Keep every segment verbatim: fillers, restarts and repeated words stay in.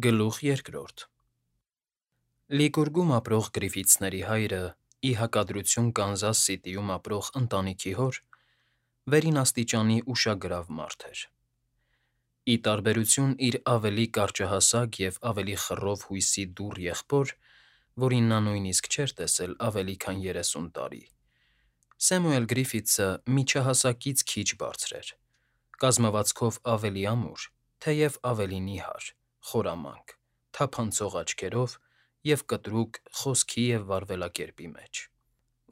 Գլուխ երկրորդ Լիկուրգում ապրող Գրիֆիթսների հայրը, ի հակադրություն Կանզաս Սիթիում ապրող ընտանիքի հոր, վերին աստիճանի ուշագրավ մարդ էր. Ի տարբերություն իր ավելի կարճահասակ և ավելի խռով հույսի դուռ եղբոր, որին նա նույնիսկ չէր տեսել ավելի քան երեսուն տարի, Սեմուել Գրիֆիթսը միջահասակից քիչ բարձր էր, կազմվածքով ավելի ամուր, թեև ավելի նիհար, խորամանկ, թափանցող աչքերով և կտրուկ խոսքի և վարվելակերպի մեջ.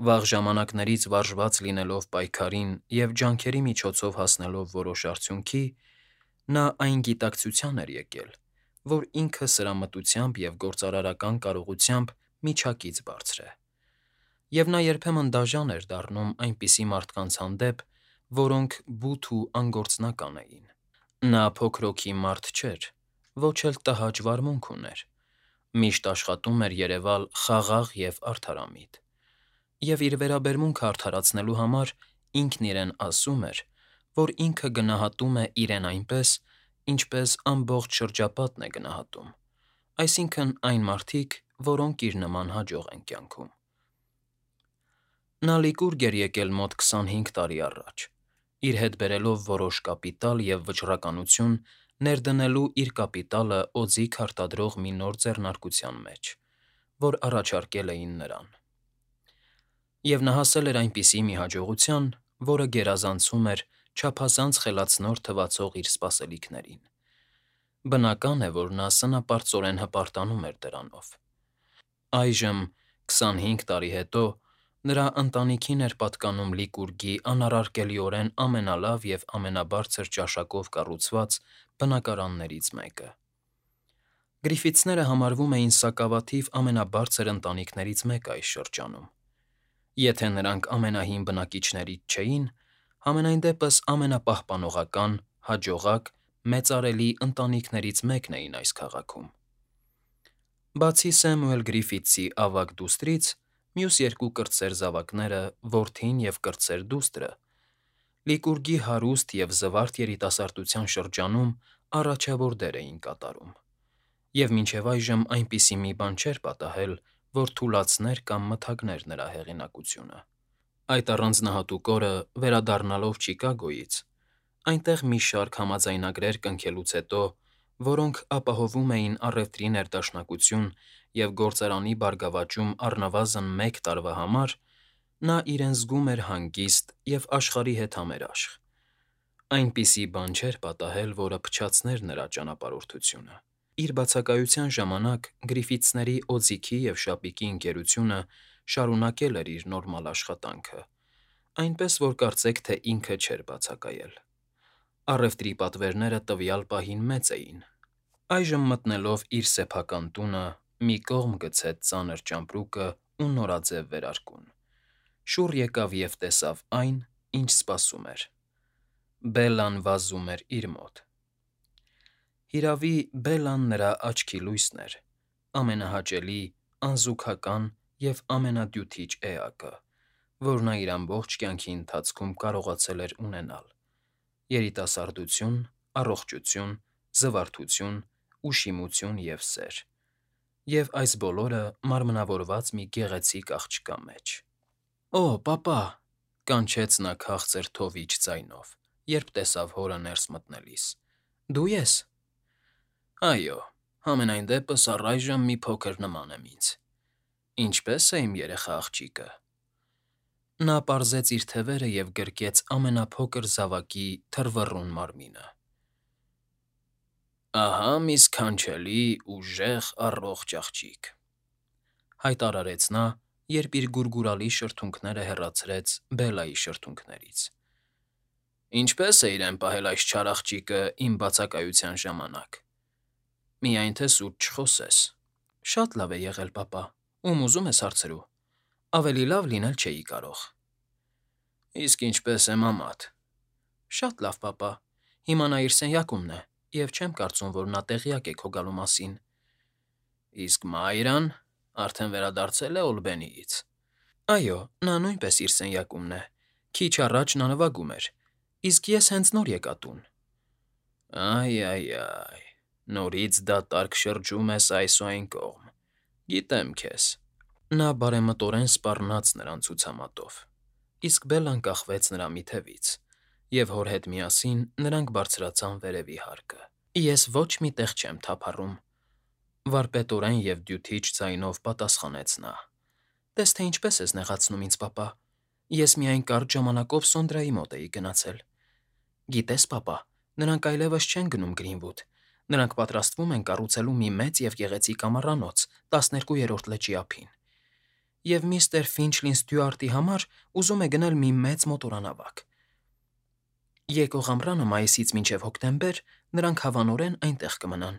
Վաղ ժամանակներից վարժված լինելով պայքարին և ջանքերի միջոցով հասնելով որոշ արդյունքի, նա այն գիտակցության էր եկել, որ ինքը սրամտությամբ և գործարարական կարողությամբ միջակից բարձր է, և նա երբեմն դաժան էր դառնում այնպիսի մարդկանց հանդեպ, որոնք բութ ու անգործնական էին. Նա փոքր հոգի մարդ չէր, ոչ էլ տհաճ վարմունք ուներ, միշտ աշխատում էր երևալ խաղաղ և արդարամիտ, և իր վերաբերմունքը արդարացնելու համար ինքն իրեն ասում էր, որ ինքը գնահատում է իրեն այնպես, ինչպես ամբողջ շրջապատն է գնահատում, այսինքն՝ այն մարդիկ, որոնք իր նման հաջող են կյանքում: Նա Լիկուրգ էր եկել մոտ քսանհինգ տարի առաջ, իր հետ բերելով որոշ կապիտալ և վճռականություն ներդնելու իր կապիտալը օձիք արտադրող մի նոր ձեռնարկության մեջ, որ առաջարկել էին նրան: Եվ նա հասել էր այնպիսի մի հաջողության, որը գերազանցում էր չափազանց խելացնոր թվացող իր սպասելիքներին: Բնական է, որ նա սնապարծորեն հպարտանում էր դրանով: Այժմ, քսանհինգ տարի հետո, նրա ընտանիքին էր պատկանում Լիկուրգի անառարկելիորեն ամենալավ և ամենաբարձր ճաշակով կառուցված բնակարաններից մեկը: Գրիֆիթսները համարվում էին սակավաթիվ ամենաբարձր ընտանիքներից մեկը այս շրջանում: Եթե նրանք ամենահին բնակիչներից չէին, համենայն դեպս ամենապահպանողական, հաջողակ, մեծարելի ընտանիքներից մեկն էին այս քաղաքում: Բացի Սեմուել Գրիֆիթսի ավագ դուստրից, մյուս երկու կրտսեր զավակները՝ որդին և կրտսեր դուստրը, Լիկուրգի հարուստ և զվարթ երիտասարդության շրջանում առաջավոր դեր էին կատարում, և մինչև այժմ այնպիսի մի բան չէր պատահել, որ թուլացներ կամ մթագներ նրա հեղինակությունը: Այդ առանձնահատուկ օրը, վերադառնալով Չիկագոյից, այնտեղ մի շարք համաձայնագրեր կնքելուց հետո, որոնք ապահովում էին առևտրի ներդաշնակություն և գործարանի բարգավաճում առնվազն մեկ տարվա համար, նա իրեն զգում էր հանգիստ և աշխարհի հետ համերաշխ: Այնպիսի բան չէր պատահել, որը փչացներ նրա ճանապարհորդությունը: Իր բացակայության ժամանակ Գրիֆիթսների օձիքի և շապիկի ընկերությունը շարունակել էր իր նորմալ աշխատանքը, այնպես որ կարծեք թե ինքը չէր բացակայել: Առևտրի պատվերները տվյալ պահին մեծ էին: Այժմ մտնելով իր սեփական տունը, մի կողմ գցեց ծանր ճամպրուկն ու նորաձև վերարկուն, շուռ եկավ և տեսավ այն, ինչ սպասում էր: Բելլան վազում էր իր մոտ: Հիրավի, Բելլան նրա աչքի լույսն էր, ամենահաճելի, անզուգական և ամենադյութիչ էակը, որ նա իր ամբողջ կյանքի ընթացքում կարողացել էր ունենալ: Երիտասարդություն, առողջություն, զվարթություն, ուշիմություն և սեր: Եվ այս բոլորը մարմնավորված մի գեղեցիկ աղջկա մեջ: Օ՜, պապա,- կանչեց նա քաղցր թովիչ ձայնով, երբ տեսավ հորը ներս մտնելիս,- դու ե՞ս: Այո, համենայն դեպս առայժմ մի փոքր նման եմ ինձ: Ինչպե՞ս է իմ երեխա աղջիկը: Նա պարզեց իր թևերը և գրկեց ամենափոքր զավակի թռվռուն մարմինը: Ահա մի սքանչելի, ուժեղ, առողջ աղջիկ,- հայտարարեց նա, երբ իր գուրգուրալի շրթունքները հեռացրեց Բելլայի շրթունքներից: Ինչպե՞ս է իրեն պահել այս չար աղջիկը իմ բացակայության ժամանակ: Միայն թե սուտ չխոսես: Շատ լավ է եղել, պապա, ում ուզում ես հարցրու: Ավելի լավ լինել չէի կարող: Իսկ ինչպե՞ս է մամադ: Շատ լավ, պապա, հիմա նա իր սենյակումն է և չեմ կարծում, որ նա տեղյակ է քո գալու մասին: Իսկ Մայրան արդեն վերադարձել է Օլբենիից: Այո, նա նույնպես իր սենյակումն է: Քիչ առաջ նա նվագում էր, իսկ ես հենց նոր եկա տուն: Այ, այ, այ, Նորից դատարկ շրջում ես այս ու այն կողմ, գիտեմ քեզ։ Նա բարեմտորեն սպառնաց նրան ցուցամատով, իսկ Բելլան կախվեց նրա մի թևից, և հոր հետ միասին նրանք բարձրացան վերևի հարկը։ Ես ոչ մի տեղ չեմ թափառում,֊ վարպետորեն և դյութիչ ձայնով պատասխանեց նա։ Տես թե ինչպես ես նեղացնում ինձ, պապա։ Ես միայն կարճ ժամանակով Սոնդրայի մոտ էի գնացել։ Գիտես, պապա, նրանք այլևս չեն գնում Գրինվուդ։ Նրանք պատրաստվում են կառուցելու մի մեծ և գեղեցիկ ամառանոց տասներկուերորդ լճի ափին։ Եվ միստր Ֆինչլին Ստյուարտի համար ուզում է գնել մի մեծ մոտորանավակ։ Եկող ամռանը մայիսից մինչև հոկտեմբեր նրանք հավանորեն այնտեղ կմնան։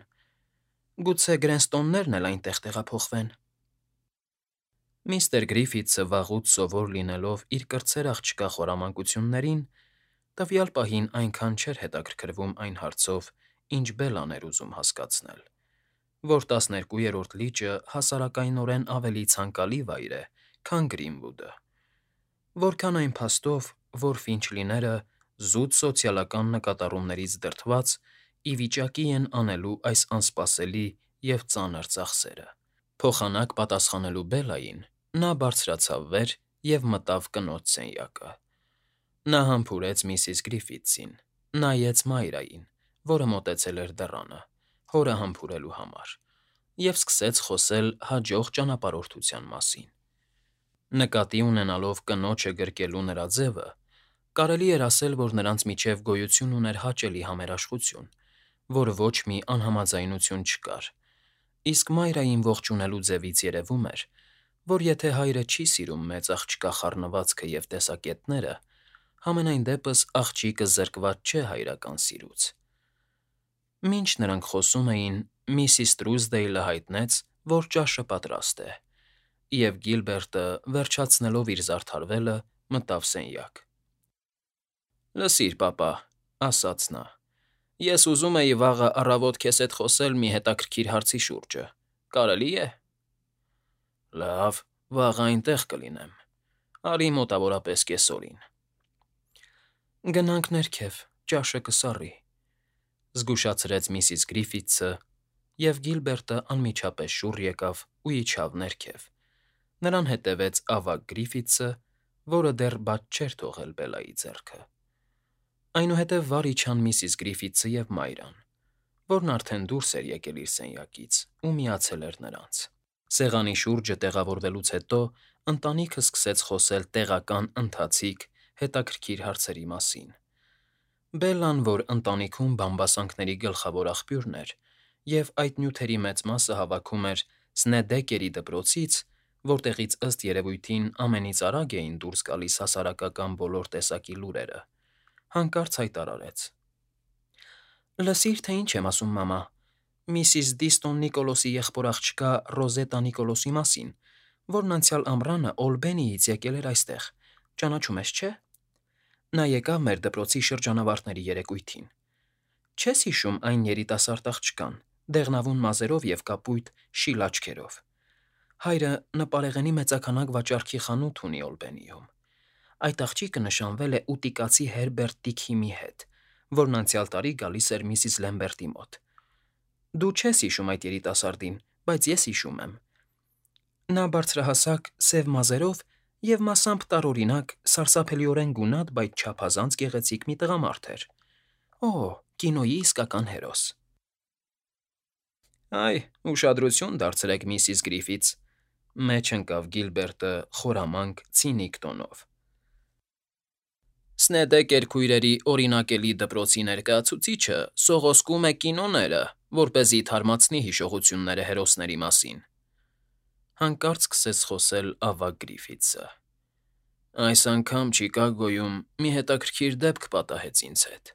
Գուցե Գրենստոններն էլ այնտեղ տեղափոխվեն։ Միստր Գրիֆիթսը վաղուց սովոր լինելով իր կրտսեր աղջկա խորամանկություններին, տվյալ պահին այնքան չէր հետաքրքրվում այն հարցով, ինչ Բելլան էր ուզում հասկացնել, որ տասներկուերորդ լիճը հասարակայնորեն ավելի ցանկալի վայր է, քան Գրինվուդը, որքան այն փաստով, որ Ֆինչլիները, զուտ սոցիալական նկատառումներից դրդված, ի վիճակի են անելու այս անսպասելի և ծանր ծախսերը։ Փոխանակ պատասխանելու Բելլային՝ նա բարձրացավ վեր և մտավ կնոջ սենյակը։ Նա համբուրեց միսիս Գրիֆիթսին, նայեց Մայրային, որը մոտեցել էր դռանը՝ հորը համբուրելու համար, և սկսեց խոսել հաջող ճանապարհորդության մասին։ Նկատի ունենալով կնոջը գրկելու նրա ձևը, կարելի էր ասել, որ նրանց միջև գոյություն ուներ հաճելի համերաշխություն, որ ոչ մի անհամաձայնություն չկար, իսկ Մայրային ողջունելու ձևից երևում էր, որ եթե հայրը չի սիրում մեծ աղջկա խառնվածքը և տեսակետները, համենայն դեպս աղջիկը զրկված չէ հայրական սիրուց։ Մինչ նրանք խոսում էին, միսիս Տրուզդեյլը հայտնեց, որ ճաշը պատրաստ է, և Գիլբերտը, վերջացնելով իր զարդարվելը, մտավ սենյակ։ «Լսիր, պապա,֊ ասաց նա,֊ ես ուզում էի վաղը առավոտ քեզ հետ խոսել մի հետաքրքիր հարցի շուրջը, կարելի է»։ «Լավ, վաղը այնտեղ կլինեմ, արի մոտավորապես կեսօրին»։ «Գնանք ներքև, ճաշը կսառի,֊ զգուշացրեց միսիս Գրիֆիթսը, և Գիլբերտը անմիջապես շուռ եկավ ու իջավ ներքև։ Նրան հետևեց ավագ Գրիֆիթսը, որը դեռ բաց չէր թողել Բելլայի ձեռքը։ Այնուհետև վար իջան միսիս Գրիֆիթսը և Մայրան, որն արդեն դուրս էր եկել իր սենյակից ու միացել էր նրանց։ Սեղանի շուրջը տեղավորվելուց հետո ընտանիքը սկսեց խոսել տեղական, ընթացիկ, հետաքրքիր հարցերի մասին։ Բելլան, որ ընտանիքում բամբասանքների գլխավոր աղբյուրն էր և այդ նյութերի մեծ մասը հավաքում էր Սնեդեկերի դպրոցից, որտեղից ըստ երևույթին ամենից արագ էին դուրս գալիս հասարակական բոլոր տեսակի լուրերը, հանկարծ հայտարարեց. «Լսիր, թե ինչ եմ ասում, մամա, միսիս Դիստոն Նիկոլոսի եղբոր աղջկա Ռոզետա Նիկոլոսի մասին, որն անցյալ ամռանը Օլբենիից եկել էր այստեղ, ճանաչում ես, չէ՞։ Նա եկավ մեր դպրոցի շրջանավարտների երեկույթին։ Չես հիշում այն երիտասարդ աղջկան, դեղնավուն մազերով և կապույտ, շիլ աչքերով։ Հայրը նպարեղենի մեծաքանակ վաճառքի խանութ ունի Օլբենիում։ Այդ աղջիկը նշանվել է ուտիկացի Հերբերտ Տիքհիմի հետ, որն անցյալ տարի գալիս էր միսիս Լեմբերտի մոտ։ Դու չես հիշում այդ երիտասարդին, բայց ես հիշում եմ։ Նա բարձրահասակ, սև մազերով և մասամբ տարօրինակ, սարսափելիորեն գունատ, բայց չափազանց գեղեցիկ մի տղամարդ էր։ Օ՜, կինոյի իսկական հերոս»։ «Այ, ուշադրություն դարձրեք, միսիս Գրիֆիթս,֊ մեջ ընկավ Գիլբերտը խորամանկ, ցինիկ տոնով։ Սնեդեկեր քույրերի օրինակելի դպրոցի ներկայացուցիչը սողոսկում է կինոները, որպեսզի թարմացնի հիշողությունները հերոսների մասին»։ Հանկարծ սկսեց խոսել ավագ Գրիֆիթսը։ «Այս անգամ Չիկագոյում մի հետաքրքիր դեպք պատահեց ինձ հետ։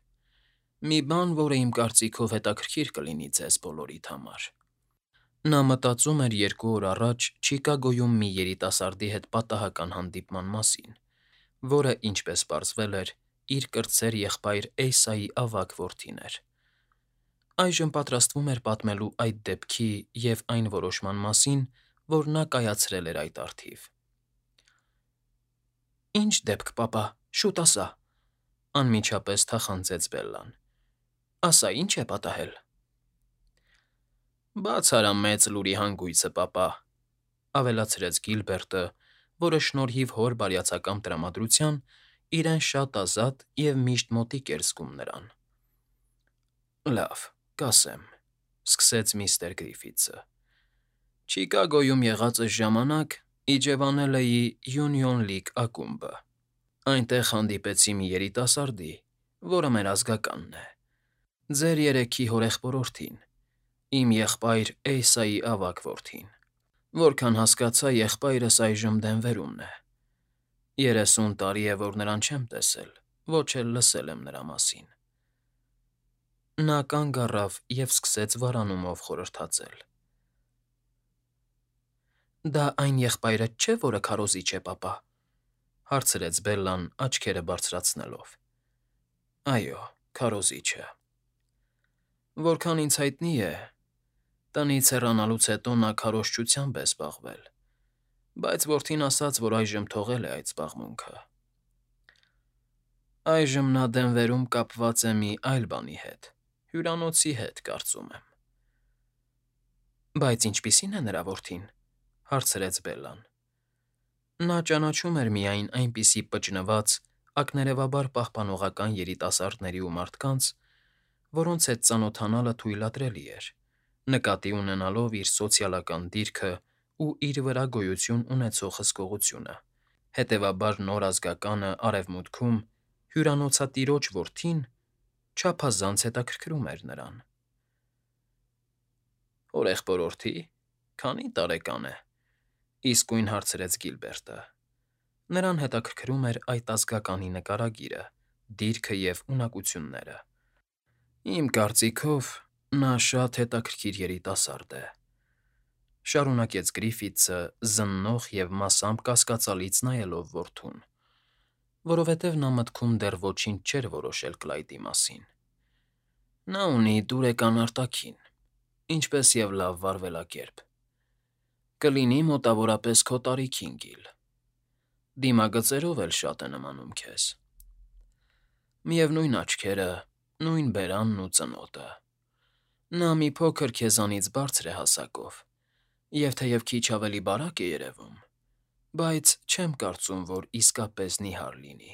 Մի բան, որը իմ կարծիքով հետաքրքիր կլինի ձեզ բոլորիդ համար»։ Նա մտածում էր երկու օր առաջ Չիկագոյում մի երիտասարդի հետ պատահական հանդիպման մասին, որը, ինչպես պարզվել էր, իր կրտսեր եղբայր Էյսայի ավագ որդին էր։ Այժմ պատրաստվում էր պատմելու այդ դեպքի և այն որոշման մասին, որ նա կայացրել էր այդ առթիվ։ «Ի՞նչ դեպք, պապա, շուտ ասա,֊ անմիջապես թախանձեց Բելլան։ Ասա, ի՞նչ է պատահել»։ Բաց արա մեծ լուրի հանգույցը, պապա,֊ ավելացրեց Գիլբերտը, որը շնորհիվ հոր բարյացակամ տրամադրության իրեն շատ ազատ և միշտ մոտիկ էր զգում նրան։ «Լավ, կասեմ,֊ սկսեց միստր Գրիֆիթսը։֊ Չիկագոյում եղածս ժամանակ իջևանել էի Յունիոն Լիգ ակումբը։ Այնտեղ հանդիպեցի մի երիտասարդի, որը մեր ազգականն է, ձեր երեքի հորեղբորորդին, իմ եղբայր Էյսայի ավագ որդին։ Որքան հասկացա, եղբայրս այժմ Դենվերումն է։ Երեսուն տարի է, որ նրան չեմ տեսել, ոչ էլ լսել եմ նրա մասին»։ Նա կանգ առավ և սկսեց վարանումով խորհրդածել։ «Դա այն եղբայրդ չէ, որը քարոզիչ է, պապա,֊ հարցրեց Բելլան, աչքերը բարձրացնելով։ «Այո, քարոզիչը։ Որքան ինձ հայտնի է, տնից հեռանալուց հետո նա քարոզչությամբ է զբաղվել, բայց որդին ասաց, որ այժմ թողել է այդ զբաղմունքը։ Այժմ նա Դենվերում կապված է մի այլ բանի հետ, հյուրանոցի հետ, կարծում եմ»։ «Բայց ինչպիսի՞ն է նրա որդին,֊ հարցրեց Բելլան։ Նա ճանաչում էր միայն այնպիսի պճնված, ակներևաբար պահպանողական երիտասարդների ու մարդկանց, որոնց հետ ծանոթանալը թույլատրելի էր, նկատի ունենալով իր սոցիալական դիրքն ու իր վրա գոյություն ունեցող հսկողությունը, հետևաբար նոր ազգականը Արևմուտքում, հյուրանոցատիրոջ որդին, չափազանց հետաքրքրում էր նրան։ «Հորեղբորորդի՞, քանի՞ տարեկան է,֊ իսկույն հարցրեց Գիլբերտը։ Նրան հետաքրքրում էր այդ ազգականի նկարագիրը, դիրքը և ունակությունները։ «Իմ կարծիքով, նա շատ հետաքրքիր երիտասարդ է,֊ շարունակեց Գրիֆիթսը՝ զննող և մասամբ կասկածալից նայելով որդուն, որովհետև նա մտքում դեռ ոչինչ չէր որոշել Կլայդի մասին։ Նա ունի դուրեկան արտաքին, ինչպես և լավ վարվելակերպ։ Կլինի մոտավորապես քո տարիքին, Գիլ, դիմագծերով էլ շատ է նմանում քեզ։ Միևնույն աչքերը, նույն բերանն ու ծնոտը։ Նա մի փոքր քեզանից բարձր է հասակով և թեև քիչ ավելի բարակ է երևում, բայց չեմ կարծում, որ իսկապես նիհար լինի։